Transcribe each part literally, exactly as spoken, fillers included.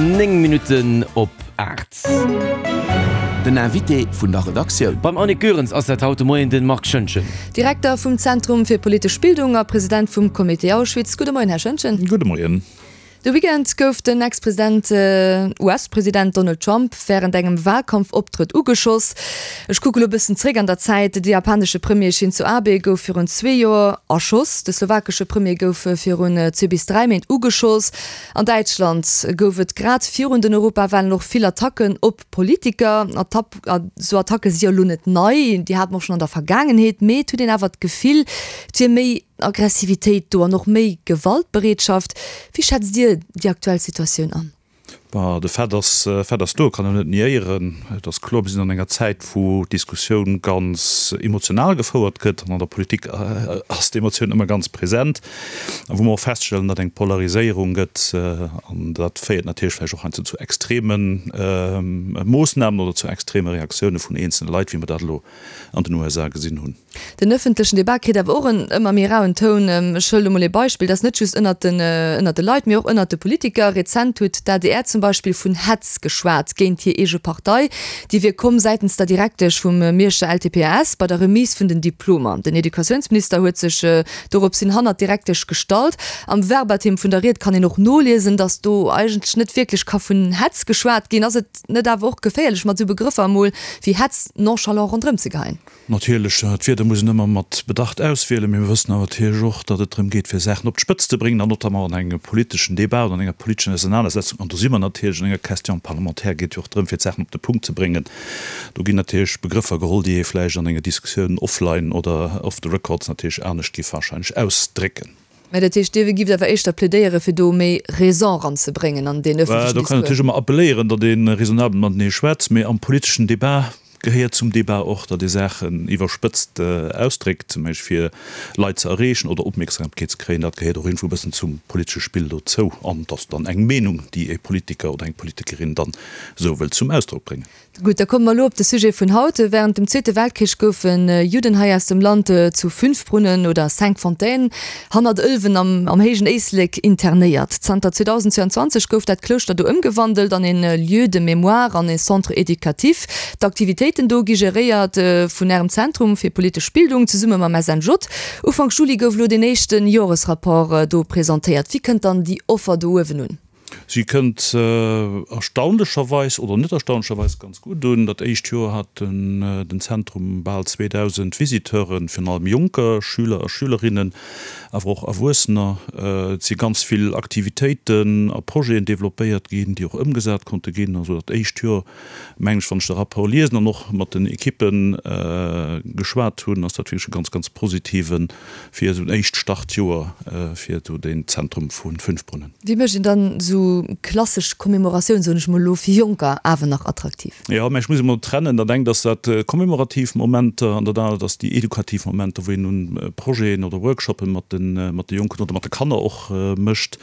Néng Minutten op aacht. Den Invité vun der Redaktioun. Beim Annick Goerens ass dat haut de Moien de Marc Schoentgen. Direkter vum Zentrum fir politesch Bildung a President vum Comité Auschwitz. Gudde Moien, Här Schoentgen. Gudde Moien. De Weekend gouf den Ex-President, U S-President Donald Trump wärend engem Walkampfoptrëtt ugeschoss. Ech kucke lo bëssen zréck an der Zäit, De japanesche Premier Shinzo Abe gouf virun zwee Joer erschoss, de slowakesche Premier gouf virun zwee bis dräi Méint ugeschoss. An Däitschland gouf et grad virun den Europawalen och vill Attacken op Politiker. Esou Attacke si jo lo net nei, déi hate mer och schonn an der Vergaangenheet, mee et huet een awer d'Gefill, et wier méi Aggressivitéit do an och méi Gewaltbereetschaft. Wéi schätzt Dir déi aktuell Situatioun an? Bah, de Fait ass, Fait ass do, kann een net niéieren. Et ass kloer, mir sinn an enger Zäit, wou d'Diskussioun ganz emotional gefouert gëtt, an an der Politik ass d'Emotioun ëmmer ganz present, a wou mer och feststellen, datt eng Polariséierung gëtt, an dat féiert natierlech vläicht och heiansdo zu extreme Moossnamen oder zu extreme Reaktioune vun eenzele Leit, wéi mer dat elo an den U S A gesinn hunn. Den ëffentlechen Debat kritt awer och en ëmmer méi rauen Toun. Ech huelen emol ee Beispill, dat ass net just ënnert den, ënnert de Leit, mee och ënnert de Politiker. Rezent huet d'A D R zum Beispill vun Hetz geschwat géint hir eege Partei. Déi wier komm säitens der Direktesch vum Mierscher L T P A S bei der Remise vun den Diplomer. Den Educatiounsminister huet sech dorops hin hannert d'Direktesch gestallt. Am Verbatim vun der Ried kann een och noliesen, datt do eigentlech net wierklech ka vun Hetz geschwat ginn. Ass et net awer och geféierlech, mat esou Begrëffer emol wéi Hetz nonchalant ronderëm ze geheien? Natierlech, d'Wierder muss een ëmmer mat Bedacht auswielen, mee mir wëssen awer natierlech och, datt et drëm geet, fir Saachen op d'Spëtzt ze bréngen, an notamment an engem politeschen Débat oder an enger politeschen Ausenanersetzung, an do si mer natierlech an enger Question parlementaire, geet jo och drëm, fir d'Saachen op de Punkt ze bréngen. Do ginn natierlech Begrëffer geholl, déi ee vläicht an enger Diskussioun offline oder off the records natierlech anescht géif wahrscheinlech ausdrécken. Mä dat heescht, Dir gift awer éischter plädéiere fir do méi Raison eranzebréngen an deen ëffentlechen Discours? Do kann een natierlech ëmmer appelléieren, datt ee raisonnabel matenee schwätzt, mee am politeschen Débat gehéiert zum Débat och, datt ee Saachen iwwerspëtzt ausdréckt, zum Beispill fir Leit ze erreechen oder Opmierksamkeet ze kréien. Dat gehéiert och iergendwou e bëssen zum politesche Spill dozou an et ass dann eng Meenung, déi e Politiker oder eng Politikerin dann esou wëllt zum Ausdrock bréngen. Gutt, da komme mer elo op de Sujet vun haut. Während dem Zweete Weltkrich goufen Judden hei aus dem Land zu Fünfbrunnen oder Cinqfontaines hannert Ëlwen am am héijen Éislek internéiert. Zanter zweedausendzwouanzwanzeg gouf dat Klouschter do ëmgewandelt an een Lieu de mémoire an ee Centre éducatif. D'Aktivitéiten do gi geréiert vun Ärem Zentrum fir politesch Bildung zesumme mam S N J. Ufank Juli gouf elo deen éischte Joresrapport do presentéiert. Wéi kënnt dann déi Offer do uewen un? Si kënnt erstaunlecherweis, oder net erstaunlecherweis, ganz gutt un. Dat éischt Joer hat den Zentrum bal zweedausend Visiteuren, virun allem Jonker, Schüler a Schülerinnen, awer och Erwuessener. Et si ganz vill Aktivitéiten a Projeten developpéiert ginn, déi och ëmgesat konnte ginn. Also dat éischt Joer, mengen ech, wann ech de Rapport liesen an och mat den Ekippe geschwat hunn, ass dat wierklech e ganz, ganz positive fir esou en éischt Startjoer fir esou deen Zentrum vu Fünfbrunnen. Wéi mécht een dann esou klassesch Commemoratioun, soen ech mol elo, fir Jonker awer nach attraktiv? Jo, mä ech muss emol trennen. Dat engt ass dat commemorativ Momenter an dat anert ass déi edukativ Momenter, wou een un Projeten oder Workshoppe mat de mat de Jonken oder mat de Kanner och mécht.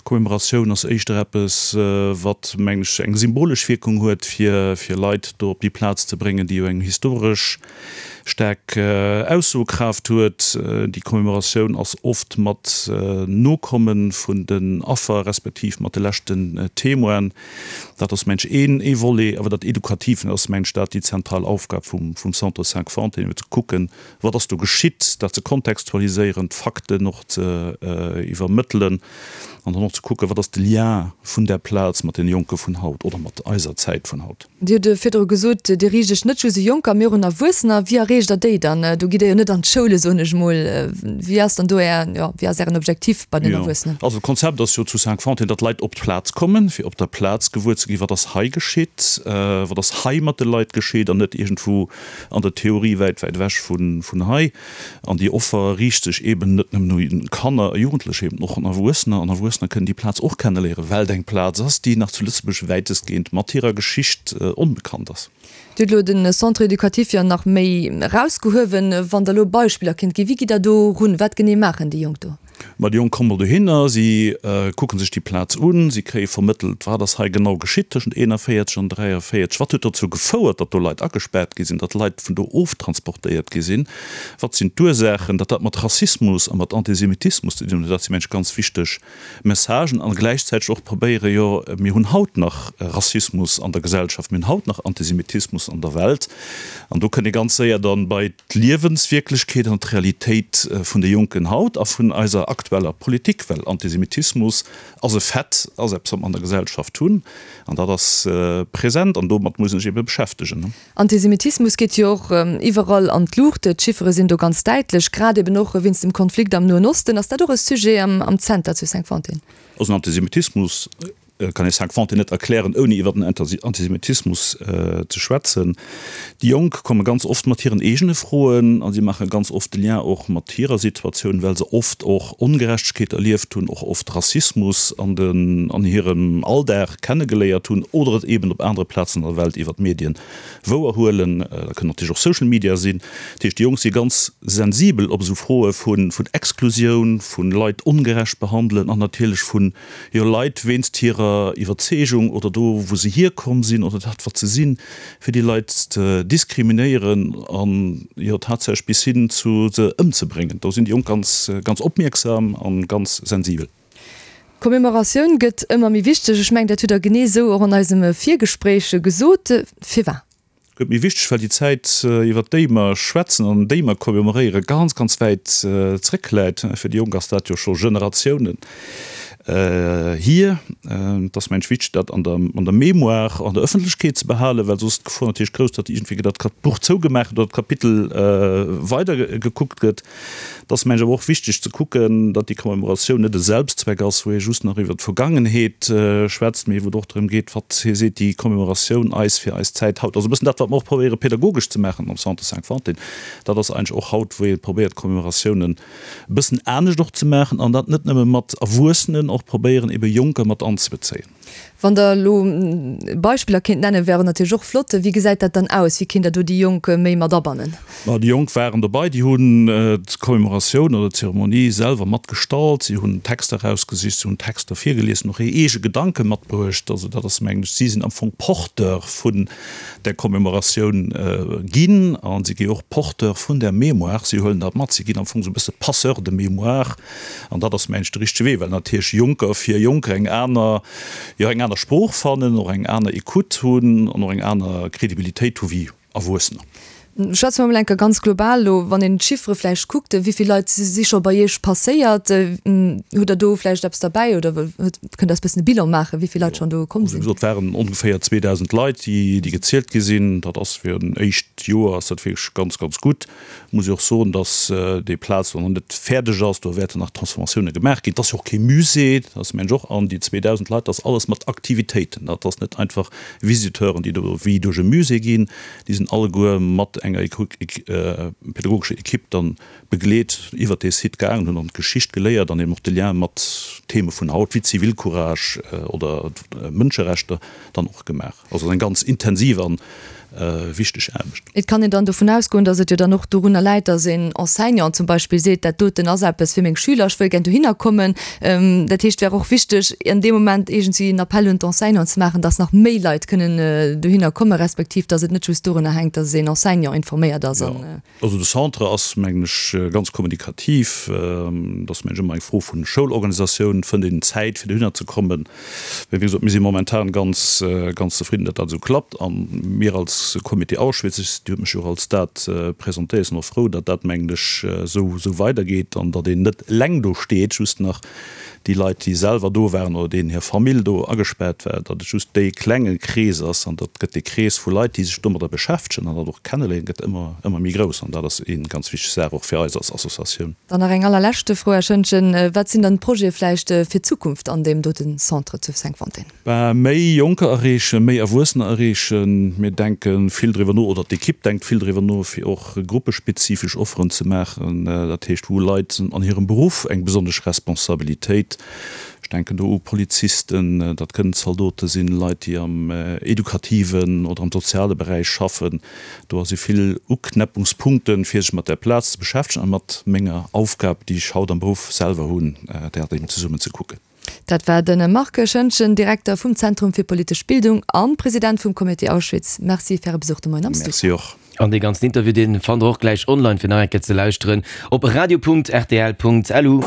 Commemoratioun ass éischter eppes, wat, mengen ech, eng symbolesch Wierkung huet, fir fir Leit do op déi Plaz ze bréngen, déi jo eng historesch staark Aussokraaft huet. Déi Commemoratioun ass oft mat Nokomme vun den Affer respektiv mat de leschten Témoinen. Dat ass, mengen ech, een ee Volet. Awer dat Edukativen ass, mengen ech, dat déi zentral Aufgab vum vum Centre Cinq-Fontaines, fir ze kucken, wat ass do geschitt, dat ze kontextualiséieren, d'Fakten och ze iwwermëttelen an dann och ze kucken, wat ass de Lien vun där Plaz mat deene Jonke vun haut oder mat eiser Zäit vun haut. Dir hutt virdru gesot, Dir riicht Iech net just u Jonker, mee och un Erwuessener. Wéi erreecht Der déi dann? Do gitt Der jo net an d'Schoule, soen ech mol. Wéi ass dann do Är, jo, wéi ass Ären Objektiv bei den Jo, Erwuessenen? also d'Konzept ass jo zu Cinq-Fontaines, datt d'Leit op d'Plaz kommen, fir op der Plaz gewuer ze ginn, wat ass hei geschitt, wat ass hei mat de Leit geschitt an net iergendwou an der Theorie wäit, wäit ewech vun, vun hei. An déi Offer riicht sech eeben net nëmmen un Kanner a Jugendlecher, eeben och un Erwuessener. An Erwuessener kënnen déi Plaz och kenneléieren, well et eng Plaz ass, déi nach zu Lëtzebuerg wäitestgehend mat hirer Geschicht onbekannt ass. Dir hutt elo de Centre éducatif jo nach méi erausgehuewen. Wann Der elo Beispiller kinnt ginn, wéi gitt Der do erun? Wat genee maachen déi Jonk do? Ma déi Jonk komme mol dohinner, si kucke sech déi Plaz un, si kréie vermëttelt, wat ass hei genau geschitt tëschent eenanvéierzeg an dräiavéierzeg, wat huet dozou gefouert, datt do Leit agespaart gi sinn, datt Leit vun do oftransportéiert gi sinn, wat sinn d'Ursaachen, datt dat mat Rassismus a mat Antisemitismus ze dinn huet. Dat si mengen ech ganz wichteg Messagen a gläichzäiteg och probéiere, jo mir hunn haut nach Rassismus an der Gesellschaft, mir hunn haut nach Antisemitismus an der Welt an do kënnt ee ganz séier dann bei d'Liewenswierklechkeet an d'Realitéit vun de Jonken haut a vun eiser aktueller Politik, well Antisemitismus ass e Fait, ass eppes, wat mer an der Gesellschaft hunn, an dat ass present an domat muss een sech ebe beschäftegen. Antisemitismus geet jo och iwwerall an d'Luucht, d'Chiffere sinn do ganz däitlech, grad eben och wéinst dem Konflikt am Noen Osten. Ass dat och e Sujet am Zenter zu Cinqfontaine? Also den Antisemitismus kann ee Cinqfontaine net erklären, ouni iwwer den Antisemitismus ze schwätzen. Déi Jonk komme ganz oft mat hiren eegene Froen a si maache ganz oft de Lien och mat hirer Situatioun, well se oft och Ongerechtegkeet erlieft hunn, och oft Rassismus an den an hirem Alldag kennegeléiert hunn oder et eeben op anere Plazen an der Welt iwwer d'Medien wouerhuelen. Dat kënnen natierlech och Social Media sinn. Dat heescht, déi Jonk si ganz sensibel op esou Froe vu vun Exklusioun, vu Leit ongerecht behandelen an natierlech vun, jo, Leit wéinst hirer Iwwerzeegung oder do wou se hierkomm sinn oder dat wat se sinn, fir déi Leit ze diskriminéieren an, jo, tatsächlech bis hin zu se ëmzebréngen. Do sinn déi Jonk ganz, ganz opmierksam a ganz sensibel. D'Commémoratioun gëtt ëmmer méi wichteg. Ech mengen, dat hutt Der genee esou och an eisem Virgespréich gesot. Firwat? Gëtt méi wichteg, well déi Zäit, iwwert déi mer schwätzen an déi mer commemoréieren, ganz, ganz wäit zréckläit. Fir déi Jonk ass dat jo scho Generatiounen hier. Et ass, mengen ech, wichteg, dat an der, an der Mémoire, an der Ëffentlechkeet ze behalen, well soss d'Gefor natierlech grouss, datt iergendwéi dat Buch zougemaach gëtt oder d'Kapitel weidergekuckt gëtt. Et ass, mengen ech, awer och wichteg ze kucken, datt déi Commemoratioun net e Selbstzweck ass, wou ee just nach iwwer d'Vergangenheet schwätzt, mee wou et och drëm geet, wat seet déi Commemoratioun eis fir eis Zäit haut. Also e bëssen dat, wat mer och probéiere pedagogesch ze maachen am Centre Cinquantaine, dat ass eigentlech och haut, wou ee probéiert Commemoratiounen e bëssen anescht och ze maachen an dat net nëmme mat Erwuessenen, och probéieren ebe Jonker mat anzebezéien. Wann Der elo Beispiller kéint nennen, wäre natierlech och flott. Wéi gesäit dat dann aus? Wéi kéint Der do déi Jonk méi mat abannen? Ma déi Jonk waren dobei, déi hunn d'Commémoratioun oder d'Zeremonie selwer mat gestalt, si hunn Texter erausgesicht, si hunn Texter virgelies, och hir eege Gedanke matbruecht. Also dat ass, mengen ech, si sinn am Fong Porteur vun där Commémoratioun ginn a si gi och Porteur vun där Mémoire. Si huelen dat mat, si ginn am Fong esou e bësse Passeur de mémoire an dat ass, mengen ech, de richtege Wee, well natierlech Jonker fir Jonker eng aner, jo, eng aner Sprooch fannen, och eng aner Ecoute hunn an och eng aner Credibilitéit hu wéi Erwuessener. Schwätze mer emol eng Kéier ganz global elo, wann een d'Chiffere vläicht kuckt, wéi vill Leit si scho bei Iech passéiert? Hutt Der do vläicht eppes derbäi oder kënnt Der eis e bëssen e Bilan maachen, wéi vill Leit schonn do komm sinn? Also wéi gesot, et waren ongeféier zweedausend Leit, déi gezielt gi sinn. Dat ass fir en éischt Joer ass dat wierklech ganz, ganz gutt. Muss ech och soen, dass déi Plaz do nach net fäerdeg ass. Do wäerten nach Transformatioune gemaach ginn. Et ass jo och kee Musée, dat ass mengen ech och. An déi zweedausend Leit, dat ass alles mat Aktivitéiten. Dat ass net einfach Visiteuren, déi do wéi duerch e Musée ginn. Déi sinn alleguer mat enger pädagogescher Ekipp dann begleet iwwert dee Site gaangen, hunn dann d'Geschicht geléiert an eben och de Lien mat Theme vun haut wéi Zivilcourage oder Mënscherechter dann och gemaach. Also eng ganz intensiv an wichteg Aarbecht. Et kann een dann dovun ausgoen, datt et jo dann och dorunner läit, datt een Enseignant zum Beispill seet, dat doten ass eppes fir meng Schüler, ech wëll gär dohinner kommen. Dat heescht, et wär och wichteg, an deem Moment iergendwéi en Appell un d'Enseignanten ze maachen, datt nach méi Leit kënnen dohinner kommen, respektiv datt et net just dorunner hänkt, datt een Enseignant informéiert ass. Jo, also de Centre ass, mengen ech, ganz kommunikativ. Et ass, mengen ech, ëmmer eng Fro vun Schoulorganisatioun, fënnt een Zäit, fir dohinner ze kommen. Mee wéi gesot, mir si momentan ganz, ganz zefridden, datt dat esou klappt. A mir als Comité Auschwitz, ech, Dir hutt mech jo och als dat presentéiert, sinn och frou, datt dat, mengen ech, esou, esou weidergeet an datt een net eleng do steet, just nach déi Leit, déi selwer do waren oder deenen hir Famill do agespaart war, datt et just dee klenge Krees ass. An datt gëtt dee Krees vu Leit, déi sech domadder beschäftegen an dat och kenneléieren, gëtt ëmmer, ëmmer méi grouss. An dat ass ee ganz wichteg Saach och fir eis als Associatioun. Dann nach eng allerleschte Fro, Här Schoentgen, Wat sinn dann d'Projete vläicht fir d'Zukunft an deem dote Centre zu Cinqfontaine? Bah, méi Jonker erreechen, méi Erwuessener erreechen. Mir denke vill driwwer no, oder d'Ekipp denkt vill driwwer no, fir och gruppespezifesch Offeren ze maachen. Dat heescht, wou Leit an hirem Beruff eng besonnesch Responsabilitéit Leit, ech denken do u Polizisten, dat kënnen Zaldote sinn, Leit, déi am edukativen oder am soziale Beräich schaffen. Do si vill Uknäppungspunkten, fir sech mat där Plaz ze beschäftegen a mat menger Aufgab, déi ech haut am Beruff selwer hunn, dat eben zesummen ze kucken. Dat war de Marc Schoentgen, Direkter vum Zentrum fir politesch Bildung an President vum Comité Auschwitz. Merci fir Äre Besuch de Moien am Studio. Merci och. An dee ganzen Interview, dee fannt der och gläich online fir nach eng Kéier ze lauschteren op radio.rtl.lu.